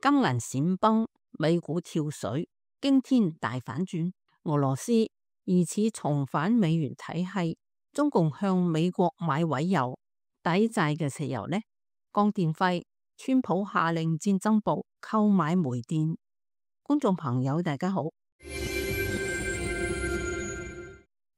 金銀閃崩，美股跳水，驚天大反轉。俄羅斯疑似重返美元體系，中共向美國買委油抵債嘅石油呢？降電費，川普下令戰爭部購買煤電。觀眾朋友大家好，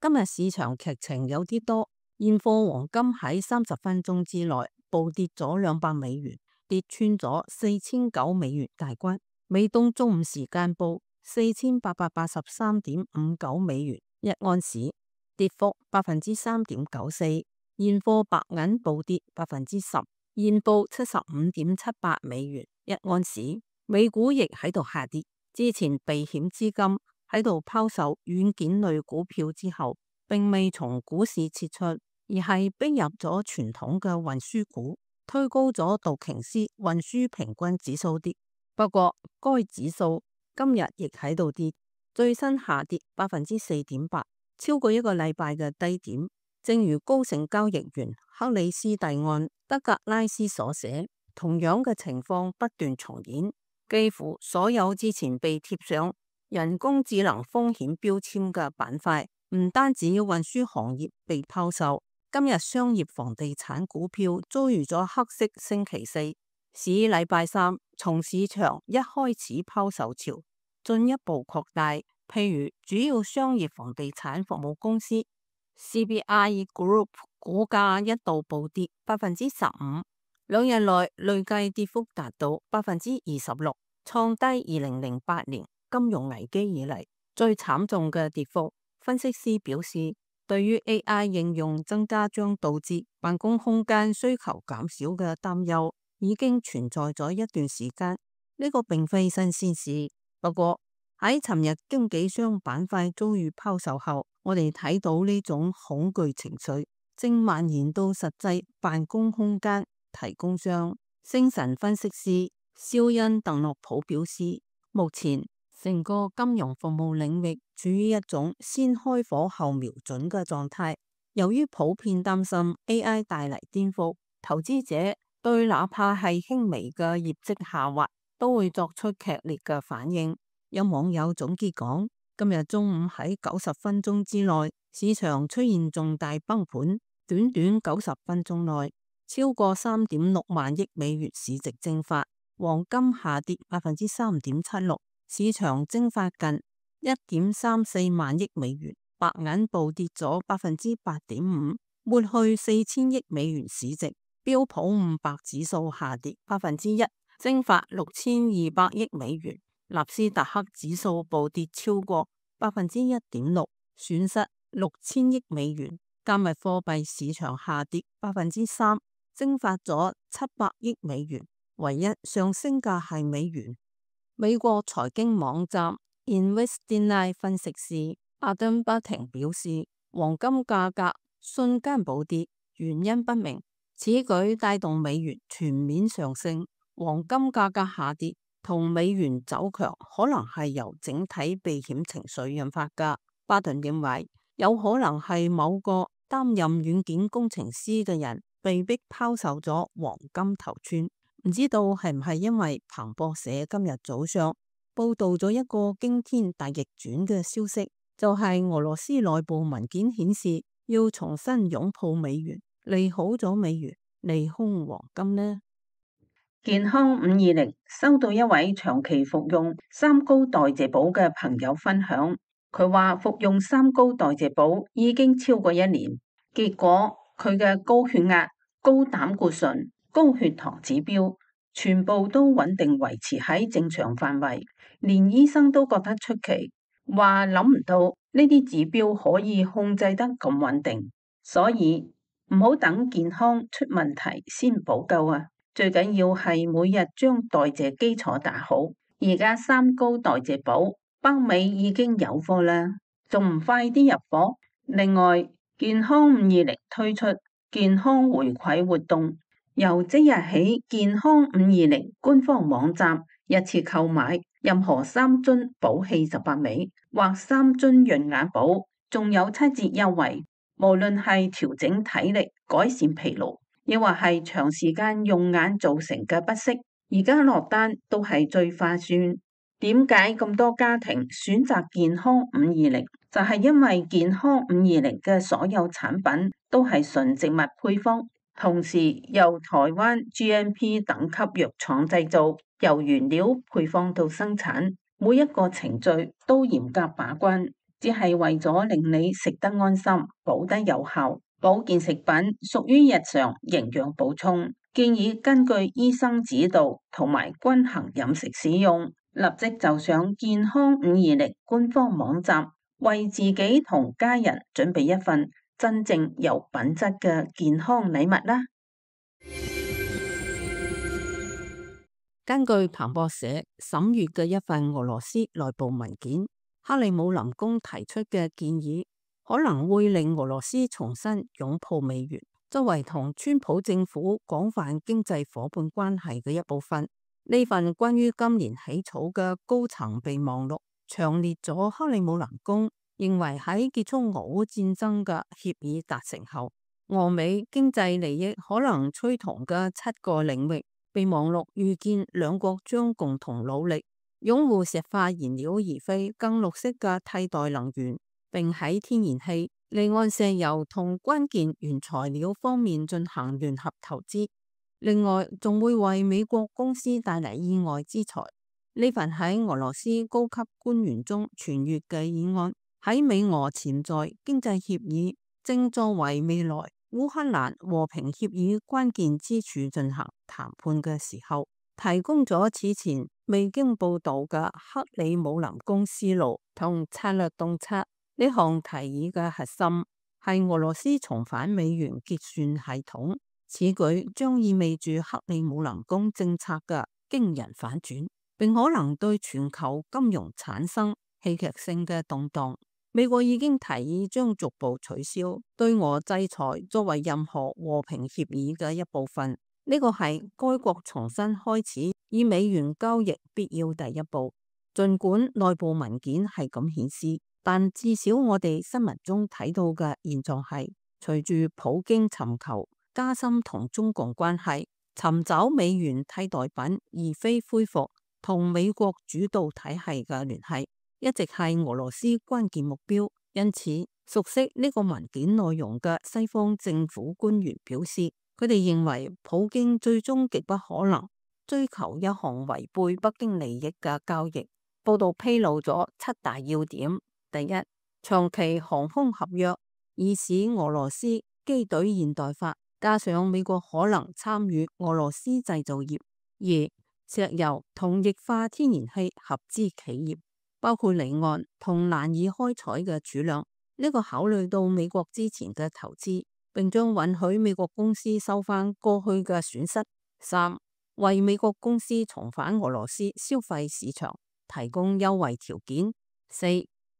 今日市場劇情有啲多，現貨黃金喺30分鐘之內暴跌咗200美元。跌穿咗4009美元大關，美東中午時間報4883.59美元一盎司，跌幅3.94%。現貨白銀暴跌10%，現報75.78美元一盎司。美股亦喺度下跌，之前避險資金喺度拋售軟件類股票之後，並未從股市撤出，而係逼入咗傳統嘅運輸股，推高咗道瓊斯運輸平均指數跌。不過該指數今日亦喺度跌，最新下跌4.8%，超過一個禮拜嘅低點。正如高盛交易員克里斯蒂安德格拉斯所寫，同樣嘅情況不斷重演，幾乎所有之前被貼上人工智能風險標籤嘅板塊，唔單止運輸行業被拋售，今日商業房地產股票遭遇咗黑色星期四，使禮拜三從市場一開始拋售潮進一步擴大。譬如主要商業房地產服務公司 CBRE Group 股價一度暴跌15%，兩日內累計跌幅達到26%，創低2008年金融危機以嚟最慘重嘅跌幅。分析師表示，對於 AI 應用增加將導致辦公空間需求減少嘅擔憂已經存在咗一段時間，呢個並非新鮮事。不過喺尋日經紀商板塊遭遇拋售後，我哋睇到呢種恐懼情緒正蔓延到實際辦公空間提供商。星神分析師肖恩·鄧諾普表示，目前成個金融服務領域處於一種先開火後瞄準嘅狀態。由於普遍擔心 AI 帶嚟顛覆，投資者對哪怕係輕微嘅業績下滑都會作出劇烈嘅反應。有網友總結講，今日中午喺90分鐘之內，市場出現重大崩盤，短短90分鐘內，超過3.6萬億美元市值蒸發，黃金下跌3.76%。市場蒸發近1.34萬億美元，白銀暴跌咗8.5%，抹去4000億美元市值。標普500指數下跌1%，蒸發6200億美元。納斯達克指數暴跌超過1.6%，損失6000億美元。加密貨幣市場下跌3%，蒸發咗700億美元。唯一上升嘅係美元。美國財經網站 Investinine 分析師阿登巴廷表示，黃金價格瞬間暴跌，原因不明。此舉帶動美元全面上升。黃金價格下跌同美元走強可能係由整體避險情緒引發㗎。巴頓認為有可能係某個擔任軟件工程師嘅人被逼拋售咗黃金頭寸。唔知道係唔係因為彭博社今日早上報道咗一個驚天大逆轉嘅消息，就係俄羅斯內部文件顯示要重新擁抱美元，利好咗美元，利空黃金呢？健康520收到一位長期服用三高代謝寶嘅朋友分享，佢話服用三高代謝寶已經超過1年，結果佢嘅高血壓、高膽固醇、高血糖指標全部都穩定維持喺正常範圍，連醫生都覺得出奇，話諗唔到呢啲指標可以控制得咁穩定，所以唔好等健康出問題先補救啊！最緊要係每日將代謝基礎打好。而家三高代謝寶北美已經有貨啦，仲唔快啲入貨？另外，健康520推出健康回饋活動，由即日起，健康520官方網站一次購買任何3樽補氣18味或3樽潤眼寶，仲有7折優惠。無論係調整體力、改善疲勞，亦或係長時間用眼造成嘅不適，而家落單都係最划算。點解咁多家庭選擇健康520？就係因為健康520嘅所有產品都係純植物配方，同時由台灣 GMP 等級藥廠製造，由原料配方到生產，每一個程序都嚴格把關，只係為咗令你食得安心，保得有效。保健食品屬於日常營養補充，建議根據醫生指導同埋均衡飲食使用。立即就上健康520官方網站，為自己同家人準備一份真正有品質嘅健康禮物啦。根據彭博社審閱嘅一份俄羅斯內部文件，克里姆林宮提出嘅建議可能會令俄羅斯重新擁抱美元，作為同川普政府廣泛經濟夥伴關係嘅一部分。呢份關於今年起草嘅高層備忘錄，詳列咗克里姆林宮認為喺結束俄烏戰爭嘅協議達成後，俄美經濟利益可能趨同嘅7個領域。備忘錄預見兩國將共同努力擁護石化燃料而非更綠色嘅替代能源，並喺天然氣、離岸石油同關鍵原材料方面進行聯合投資。另外，仲會為美國公司帶嚟意外之財。呢份喺俄羅斯高級官員中傳閱嘅議案，喺美俄潛在經濟協議正作為未來烏克蘭和平協議關鍵之處進行談判嘅時候，提供咗此前未經報導嘅克里姆林宮思路同策略洞察。呢項提議嘅核心係俄羅斯重返美元結算系統。此舉將意味住克里姆林宮政策嘅驚人反轉，並可能對全球金融產生戲劇性嘅動盪。美國已經提議將逐步取消對俄制裁作為任何和平協議嘅一部分。呢個係該國重新開始以美元交易必要第一步。儘管內部文件係咁顯示，但至少我哋新聞中睇到嘅現狀係，隨住普京尋求加深同中共關係，尋找美元替代品，而非恢復同美國主導體系嘅聯繫，一直係俄羅斯關鍵目標。因此，熟悉呢個文件內容嘅西方政府官員表示，佢哋認為普京最終極不可能追求一項違背北京利益嘅交易。報道披露咗7大要點：第一，長期航空合約，以使俄羅斯機隊現代化，加上美國可能參與俄羅斯製造業；二，石油同液化天然氣合資企業，包括離岸同難以開採嘅儲量，呢個考慮到美國之前嘅投資，並將允許美國公司收返過去嘅損失；三，為美國公司重返俄羅斯消費市場提供優惠條件；四，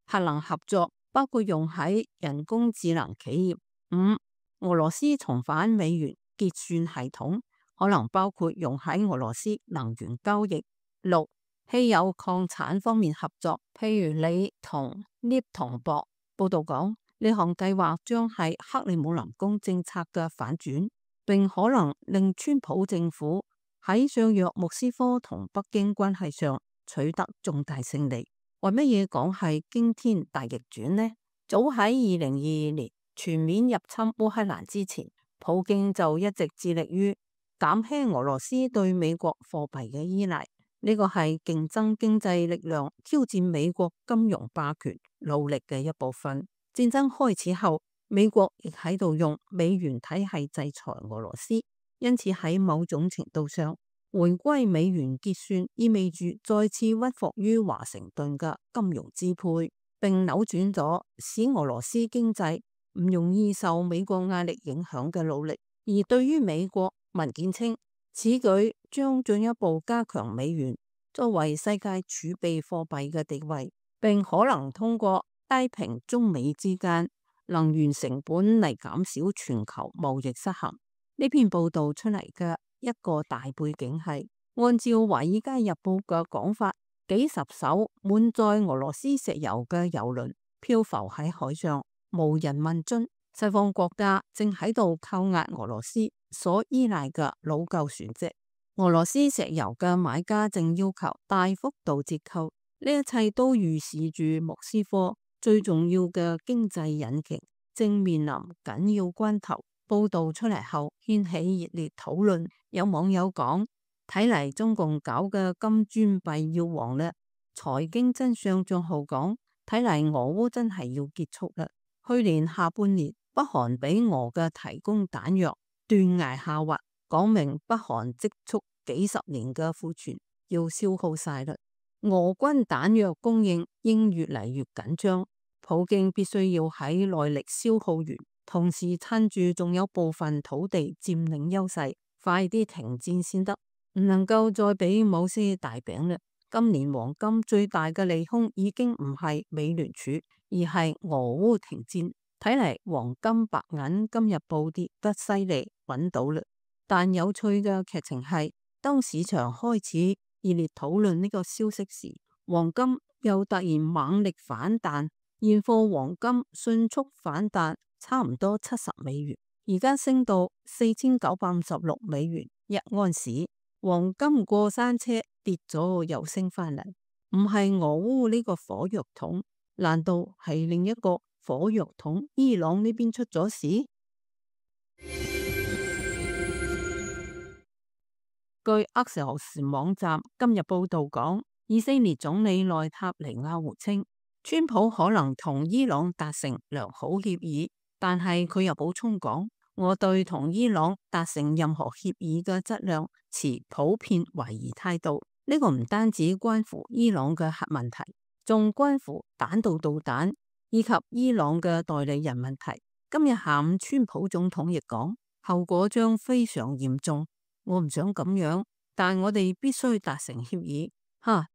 核能合作，包括用喺人工智能企業；五，俄羅斯重返美元結算系統，可能包括用喺俄羅斯能源交易；六，稀有礦產方面合作，譬如鋰同鎳銅箔。報道講，呢項計劃將係克里姆林宮政策嘅反轉，並可能令川普政府喺削弱莫斯科同北京關係上取得重大勝利。為乜嘢講係驚天大逆轉呢？早喺2022年全面入侵烏克蘭之前，普京就一直致力於減輕俄羅斯對美國貨幣嘅依賴。呢個係競爭經濟力量挑戰美國金融霸權努力嘅一部分。戰爭開始後，美國亦喺度用美元體系制裁俄羅斯，因此喺某種程度上，回歸美元結算意味住再次屈服於華盛頓嘅金融支配，並扭轉咗使俄羅斯經濟唔容易受美國壓力影響嘅努力。而對於美國，文件稱此舉將進一步加強美元作為世界儲備貨幣嘅地位，並可能通過拉平中美之間能源成本嚟減少全球貿易失衡。呢篇報道出嚟嘅一個大背景係，按照《華爾街日報》嘅講法，幾十艘滿載俄羅斯石油嘅油輪漂浮喺海上，無人問津。西方國家正喺度扣押俄羅斯所依賴嘅老舊船隻，俄羅斯石油嘅買家正要求大幅度折扣，呢一切都預示住莫斯科最重要嘅經濟引擎正面臨緊要關頭。報道出嚟後掀起熱烈討論，有網友講：睇嚟中共搞嘅金磚幣要黃啦。財經真相賬號講：睇嚟俄烏真係要結束啦。去年下半年，北韓俾俄嘅提供彈藥斷崖下滑，講明北韓積蓄幾十年嘅庫存要消耗晒啦。俄軍彈藥供應應越嚟越緊張，普京必須要喺內力消耗完，同時趁住仲有部分土地佔領優勢，快啲停戰先得，唔能夠再俾某些大餅啦。今年黃金最大嘅利空已經唔係美聯儲，而係俄烏停戰。睇嚟黃金白銀今日暴跌得犀利，揾到啦。但有趣嘅劇情係，當市場開始熱烈討論呢個消息時，黃金又突然猛力反彈，現貨黃金迅速反彈，差唔多$70，而家升到$4956一盎司。黃金過山車跌咗又升返嚟，唔係俄烏呢個火藥桶，難道係另一個火藥桶伊朗呢邊出咗事？據厄齊俄斯網站今日報道講，以色列總理內塔尼亞胡稱，川普可能同伊朗達成良好協議，但係佢又補充講，我對同伊朗達成任何協議嘅質量持普遍懷疑態度。呢個唔單止關乎伊朗嘅核問題，仲關乎彈道導彈以及伊朗嘅代理人問題。今日下午，川普總統亦講，後果將非常嚴重。我唔想咁樣，但我哋必須達成協議。佢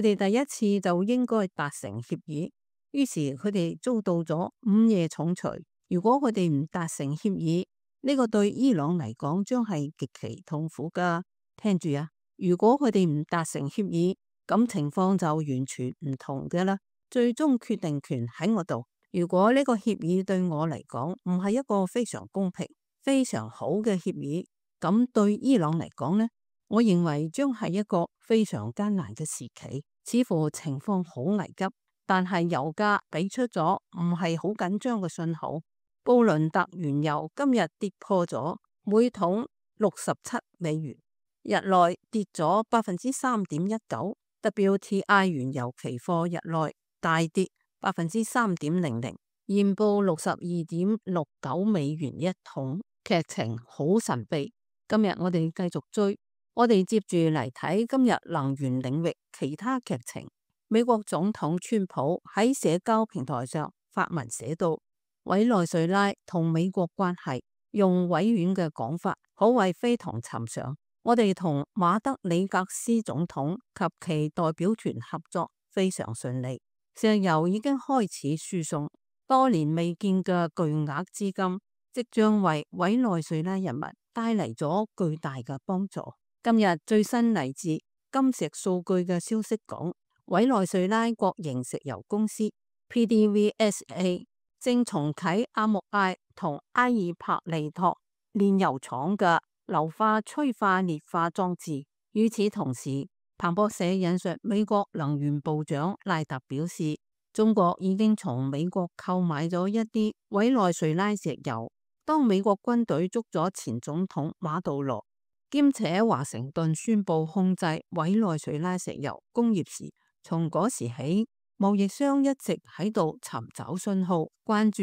哋第一次就應該達成協議，於是佢哋遭到咗午夜重錘。如果佢哋唔達成協議，呢個對伊朗嚟講將係極其痛苦噶。聽住啊，如果佢哋唔達成協議，咁情況就完全唔同嘅啦。最終決定權喺我度。如果呢個協議對我嚟講唔係一個非常公平、非常好嘅協議，咁對伊朗嚟講呢，我認為將係一個非常艱難嘅時期，似乎情況好危急。但係油價俾出咗唔係好緊張嘅信號，布倫特原油今日跌破咗每桶$67，日內跌咗3.19%。WTI 原油期貨日內大跌3.00%，現報$62.69一桶，劇情好神秘。今日我哋繼續追，我哋接住嚟睇今日能源領域其他劇情。美國總統川普喺社交平台上發文寫道，委內瑞拉同美國關係，用委婉嘅講法，可謂非同尋常。我哋同馬德里格斯總統及其代表團合作非常順利，石油已經開始輸送，多年未見嘅巨額資金即將為委內瑞拉人民帶嚟咗巨大嘅幫助。今日最新嚟自金石數據嘅消息講，委內瑞拉國營石油公司 PDVSA 正重啟阿穆艾同埃爾帕利托煉油廠嘅硫化催化裂化裝置。與此同時，彭博社引述美國能源部長賴特表示，中國已經從美國購買咗一啲委內瑞拉石油。當美國軍隊捉咗前總統馬杜羅，兼且華盛頓宣布控制委內瑞拉石油工業時，從嗰時起，貿易商一直喺度尋找信號，關注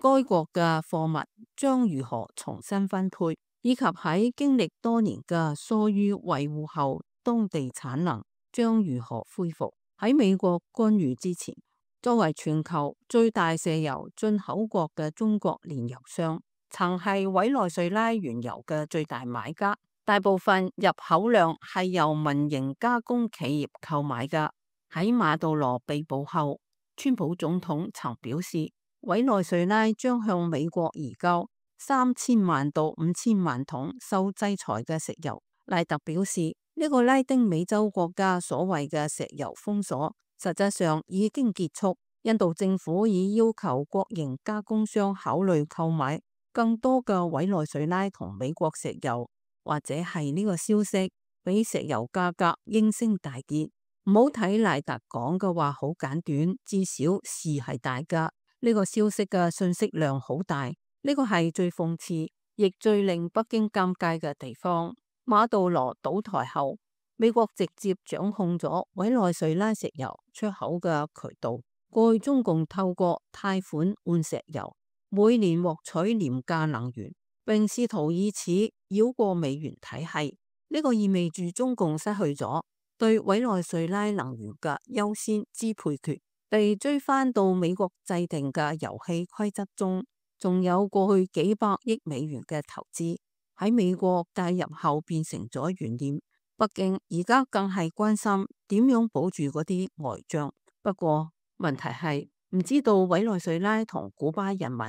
該國嘅貨物將如何重新分配，以及喺經歷多年嘅疏於維護後，當地產能將如何恢復。喺美國干預之前，作為全球最大石油進口國嘅中國煉油商，曾係委內瑞拉原油嘅最大買家，大部分入口量係由民營加工企業購買㗎。喺馬杜羅被捕後，川普總統曾表示，委內瑞拉將向美國移交3000萬到5000萬桶受制裁嘅石油。賴特表示，呢個拉丁美洲國家所謂嘅石油封鎖，實際上已經結束。印度政府已要求國營加工商考慮購買更多嘅委內瑞拉同美國石油，或者係呢個消息比石油價格應聲大跌。唔好睇賴達講嘅話好簡短，至少事係大噶。呢個消息嘅信息量好大，呢個係最諷刺，亦最令北京尷尬嘅地方。馬杜羅倒台後，美國直接掌控咗委內瑞拉石油出口嘅渠道。過去中共透過貸款換石油，每年獲取廉價能源，並試圖以此繞過美元體系。呢個意味住中共失去咗對委內瑞拉能源嘅優先支配權，被追翻到美國制定嘅遊戲規則中。仲有過去幾百億美元嘅投資喺美國介入後變成咗懸念。北京而家更係關心點樣保住嗰啲外賬。不過問題係唔知道委內瑞拉同古巴人民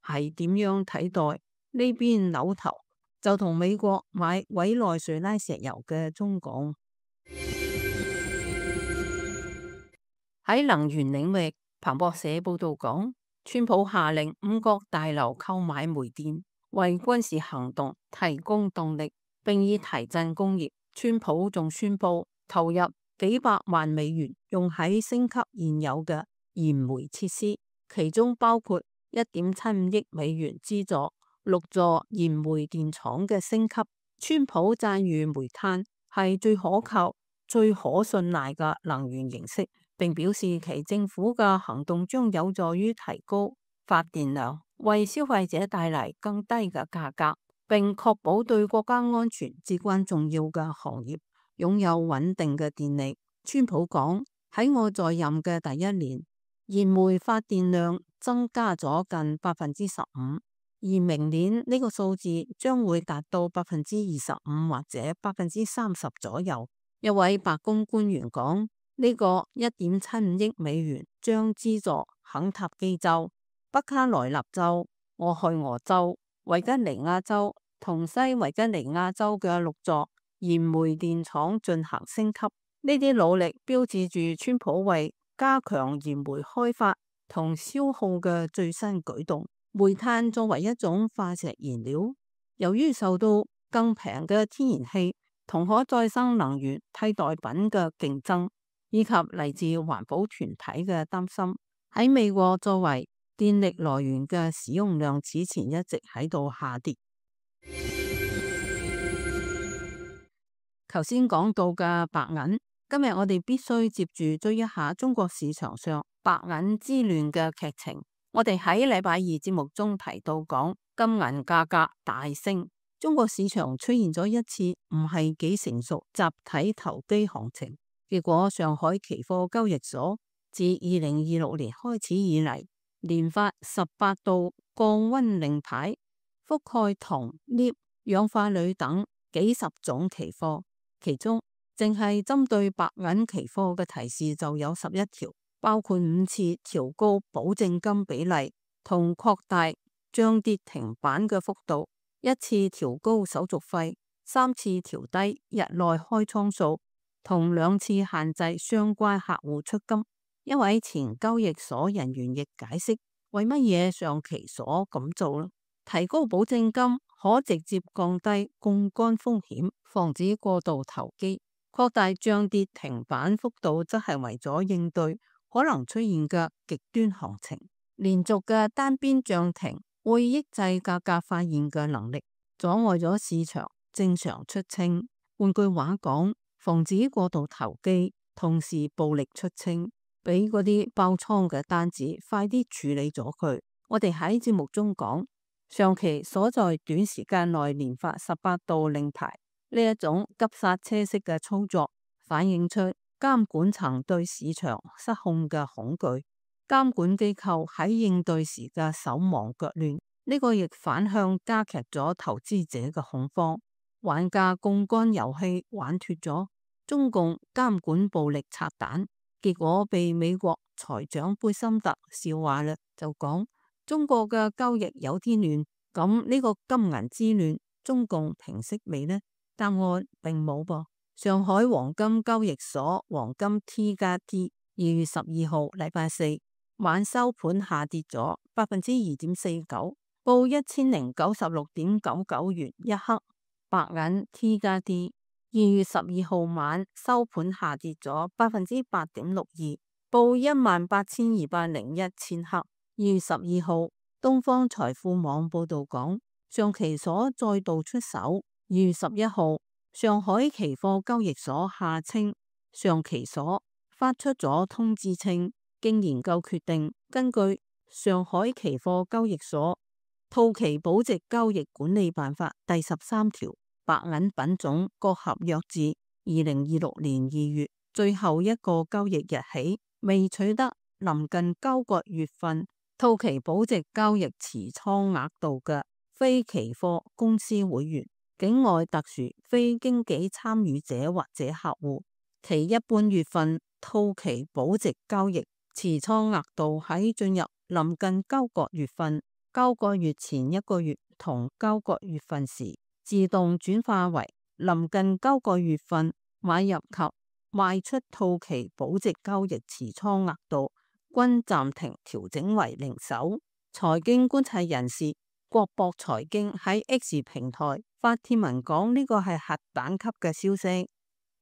係點樣睇待呢邊扭頭就同美國買委內瑞拉石油嘅中共。喺能源領域，彭博社報道講，川普下令5國大樓購買煤電，為軍事行動提供動力，並以提振工業。川普仲宣布投入幾百萬美元用喺升級現有嘅燃煤設施，其中包括1.75億美元資助6座燃煤電廠嘅升級。川普讚譽煤炭係最可靠、最可信賴嘅能源形式，並表示其政府嘅行動將有助於提高發電量，為消費者帶嚟更低嘅價格，並確保對國家安全至關重要嘅行業擁有穩定嘅電力。川普講，喺我在任嘅第一年，燃煤發電量增加咗近15%，而明年呢個數字將會達到25%或者30%左右。一位白宮官員講，呢個1.75億美元將資助肯塔基州、北卡羅來納州、俄亥俄州、維吉尼亞州同西維吉尼亞州嘅6座燃煤電廠進行升級。呢啲努力標誌住川普為加強燃煤開發同消耗嘅最新舉動。煤炭作為一種化石燃料，由於受到更平嘅天然氣同可再生能源替代品嘅競爭，以及嚟自環保團體嘅擔心，喺美國作為電力來源嘅使用量此前一直喺度下跌。頭先講到嘅白銀，今日我哋必須接住追一下中國市場上白銀之亂嘅劇情。我哋喺禮拜二節目中提到講金銀價格大升，中國市場出現咗一次唔係幾成熟集體投機行情。結果上海期貨交易所自2026年開始以嚟，連發18道降溫令牌，覆蓋銅、鎳、氧化鋁等幾十種期貨，其中淨係針對白銀期貨嘅提示就有11條。包括5次調高保證金比例同擴大漲跌停板嘅幅度，1次調高手續費，3次調低日內開倉數，同2次限制相關客戶出金。一位前交易所人員亦解釋，為乜嘢上期所咁做呢？提高保證金可直接降低槓桿風險，防止過度投機；擴大漲跌停板幅度則係為咗應對可能出現嘅極端行情。連續嘅單邊漲停會抑制價格發現嘅能力，阻礙咗市場正常出清。換句話講，防止過度投機，同時暴力出清，俾嗰啲爆倉嘅單子快啲處理咗佢。我哋喺節目中講，上期所在短時間內連發18道令牌，呢一種急剎車式嘅操作，反映出監管層對市場失控嘅恐懼，監管機構喺應對時嘅手忙腳亂，呢個亦反向加劇咗投資者嘅恐慌，玩家槓桿遊戲玩脫咗，中共監管暴力拆彈，結果被美國財長貝森特笑話啦，就講中國嘅交易有啲亂，咁呢個金銀之亂，中共平息未呢？答案並冇噃。上海黃金交易所黃金 T+T 2月12號禮拜四晚收盤下跌咗2.49%，報1096.99元一克。白銀 T+T 2月12號晚收盤下跌咗8.62%，報18,201千克。2月12號，東方財富網報道講，上期所再度出手。2月11號，上海期貨交易所下稱上期所發出咗通知稱，經研究決定，根據上海期貨交易所套期保值交易管理辦法第13條，白銀品種各合約至2026年2月最後一個交易日起，未取得臨近交割月份套期保值交易持倉額度嘅非期貨公司會員、境外特殊非經紀參與者或者客戶，其一半月份套期保值交易持倉額度喺進入臨近交割月份、交割月前一個月同交割月份時，自動轉化為臨近交割月份買入及賣出套期保值交易持倉額度均暫停調整為零手。財經觀察人士國博財經喺 X 平台發帖文講，呢個係核彈級嘅消息。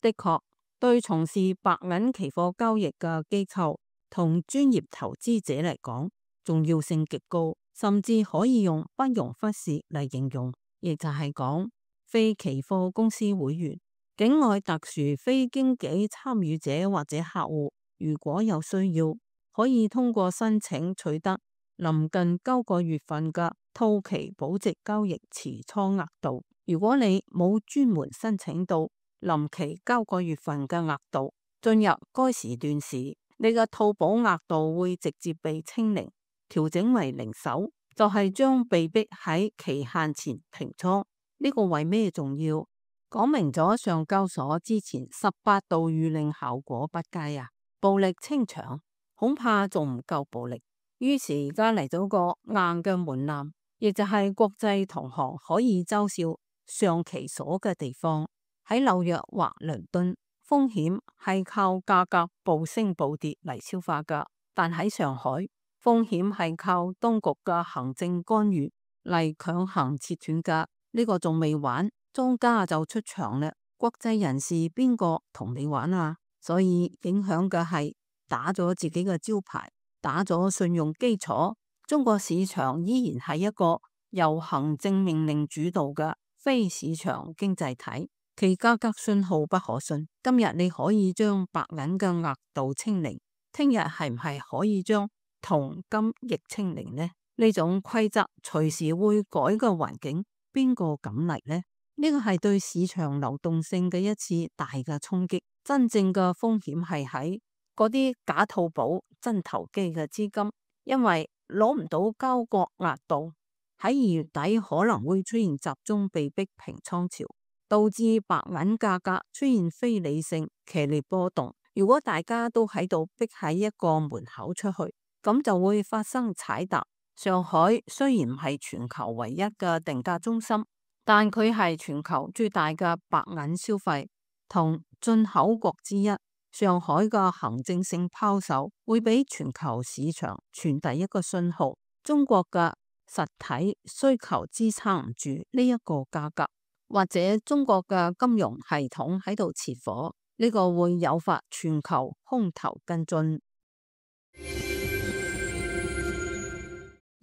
的確，對從事白銀期貨交易嘅機構同專業投資者嚟講，重要性極高，甚至可以用不容忽視嚟形容。亦就係講，非期貨公司會員、境外特殊非經紀參與者或者客戶，如果有需要，可以通過申請取得臨近交割月份嘅套期保值交易持倉額度。如果你冇專門申請到臨期交割月份嘅額度，進入該時段時，你嘅套保額度會直接被清零，調整為零手，就係將被逼喺期限前平倉。呢個為咩重要？講明咗上交所之前18度諭令效果不佳啊，暴力清場恐怕仲唔夠暴力。於是而家嚟咗個硬嘅門檻，亦就係國際同行可以嘲笑上期所嘅地方。喺紐約或倫敦，風險係靠價格暴升暴跌嚟消化噶，但喺上海，風險係靠當局嘅行政干預嚟強行切斷噶。呢個仲未玩，莊家就出場啦。國際人士邊個同你玩啊？所以影響嘅係打咗自己嘅招牌，打咗信用基礎。中國市場依然係一個由行政命令主導嘅非市場經濟體，其價格信號不可信。今日你可以將白銀嘅額度清零，聽日係唔係可以將銅金亦清零呢？呢種規則隨時會改嘅環境，邊個敢嚟呢？呢個係對市場流動性嘅一次大嘅衝擊。真正嘅風險係喺嗰啲假套保真投機嘅資金，因為攞唔到交割額度，喺2月底可能會出現集中被逼平倉潮，導致白銀價格出現非理性劇烈波動。如果大家都喺度逼喺一個門口出去，咁就會發生踩踏。上海雖然唔係全球唯一嘅定價中心，但佢係全球最大嘅白銀消費同進口國之一。上海嘅行政性拋售會俾全球市場傳遞一個信號，中國嘅實體需求支撐唔住呢一個價格，或者中國嘅金融系統喺度切火，呢個會誘發全球空頭跟進。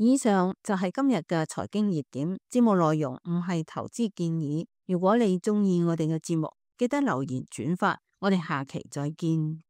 以上就係今日嘅財經熱點，節目內容唔係投資建議。如果你中意我哋嘅節目，記得留言轉發，我哋下期再見。